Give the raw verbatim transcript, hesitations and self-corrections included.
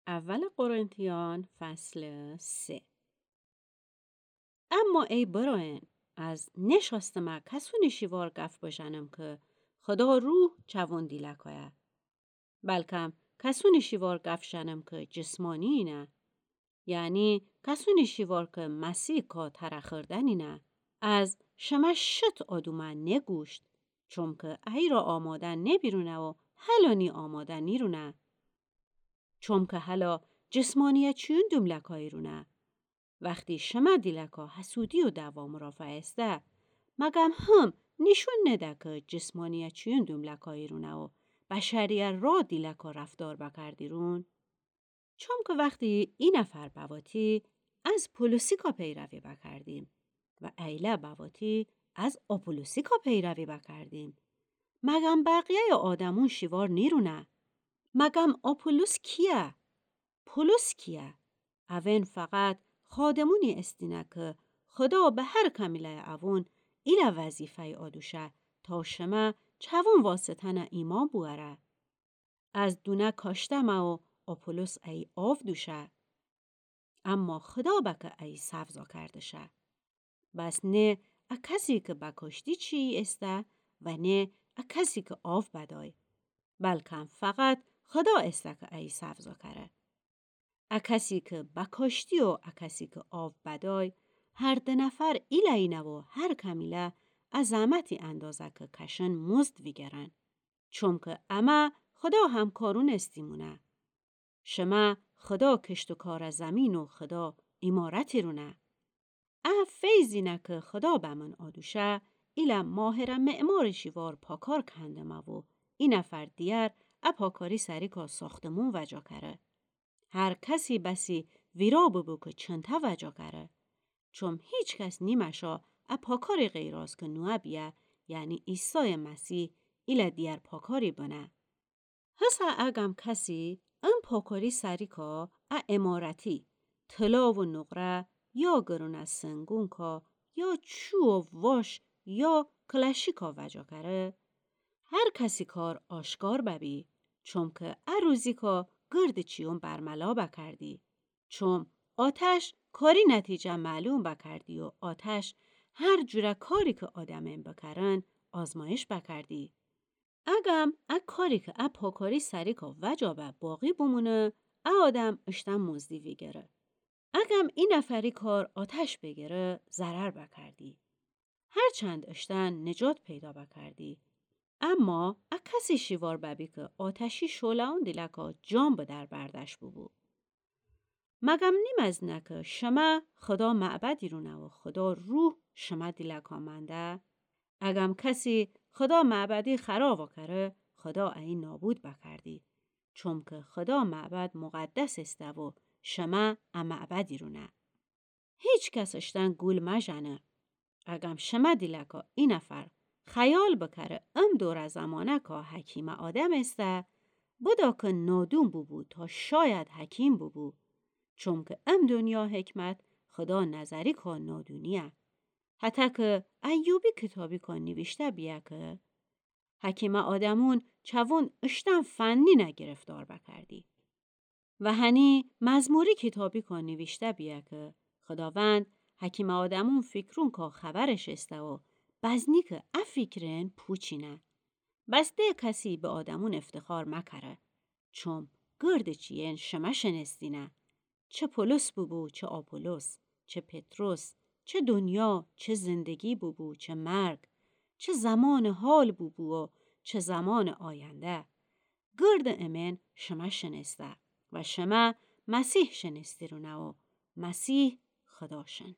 اول قرنتیان فصل سه. اما ای برأیأن، از نشأستمه کسونی شیوار گف بژنم کی خدا روح چوون دیلکایه. بلکم کسونی شیوار گف ژنم کی جسمانی‌یینه. یعنی کسونی شیوار کی مسیح کا تره خوردنینه. از شمه شت آدومه نگوشت، چومکی ایرا آماده نبیرونه و هلأنی آماده نیرونه. چومکی هلا جسمانیه چیون دوملکاییرونه. وختی شمه دیلکا حسودی و دعوا مرافعه ایسته، مگم هم نیشون نده کی جسمانیه چیون دوملکاییرونه و بشریه را دیلکا رفتار بکردیرون؟ چومکی وختی ای نفر بواتی، از پولوسیکا پیروی بکردیم و ایله بواتی از آپولوسیکا پیروی بکردیم. مگم بقیه‌یٚ آدمون شیوار نیرونه؟ مگم آپولوس کیه؟ پولوس کیه؟ اوئن فقط خادمونی ایستینه کی خدا به هر کمیله‌یٚ اوون ایله وظیفه‌یی آدوشه تا شمه چوون واسطه‌نه ایمأن بوأره. از دونه کاشتمه و آپولوس ایی آو دوشه. اما خدا به کی ایی سبزا کردشه. بس نه ا کسی کی به کاشتی چیی ایسته و نه ا کسی کی آو بدأی. بلکم فقط خدا ایسته کی ایی سبزا کره. ا کسی کی به کاشتی و ا کسی کی آو بدأی، هر د نفر ایله اینه و هر کمیله ا زحمتی اندازه کی کشن مزد ویگرن. چومکی امه خدا همکارون ایستیمونه. شمه خدا کشت و کار زمین و خدا عمارتیرونه. ا فیضینه کی خدا بمن آدوشه، ایله ماهره معمار شیوار پاکار کندمه و ای نفر دیگر ا پاکاری سریکا ساختمون وجا کره. هر کسی بسی ویرا ببو کی چنته وجا کره. چوم هیچ کس نیمشا ا پاکاری غیر از کی نوعه بیه، یعنی عیسی مسیح، ایله دیگر پاکاری بنه. هسه اگم کسی ان پاکاری سریکا ا عمارتی، طلا و نقره یا گرونه سنگونکا یا چوب و واش یا کلاشیکا وجا کره، هر کسی کار آشکار ببی، چومکی ا روزیکا گرد چیون برملا بکردی. چوم آتش کاری نتیجه معلوم بکردی و آتش هر جوره کاری کی آدمئن بکرن آزمایش بکردی. اگم ا کاری کی ا پاکاری سریکا وجا به باقی بمونه، ا آدم اشتن مزدی ویگره. اگم ای نفری کار آتش بیگره، ضرر بکردی. هرچند اشتن نجات پیدا بکردی، اما ا کسی شیوار ببی کی آتشی شعله‌ون دیلکا جان به در بردش ببو. مگم نیمزنه کی شمه خدا معبدیرونه و خدا روح شمه دیلکا منده؟ اگم کسی خدا معبدی خراب کره، خدا ایی نابود بکردی. چومکی خدا معبد مقدس ایسته و شمه ا معبدیرونه. هیچ کس اشتن گول مژنه. اگم شمه دیلکا ای نفر خیال بکره ام دوره زمانکا حکیمٚ آدم ایسته، بدا کی نادون بوبو تا شاید حکیم بوبو. چومکی ام دونیا حکمت خدا نظریکا نادونیه. حتی کی ایوبی کیتابیکا نیویشته بیه کی حکیمٚ آدمون چوون اشتن فنینه گرفتار بکردی. و هنی مزموری کیتابیکا نیویشته بیه کی خداوند حکیمٚ آدمون فیکرونکا خبرش ایسته و بزنی کی ا فیکرئن پوچینه. بس ده کسی به آدمون افتخار مکره. چوم گردٚ چیئن شمه شنستینه. چه پولس بوبو، چه آپولوس، چه پطرس، چه دونیا، چه زندگی بوبو، چه مرگ، چه زمانٚ حال بوبو و چه زمانٚ آینده. گردٚ امئن شمه شنسته و شمه مسیح شنستیرونه و مسیح خدا شن.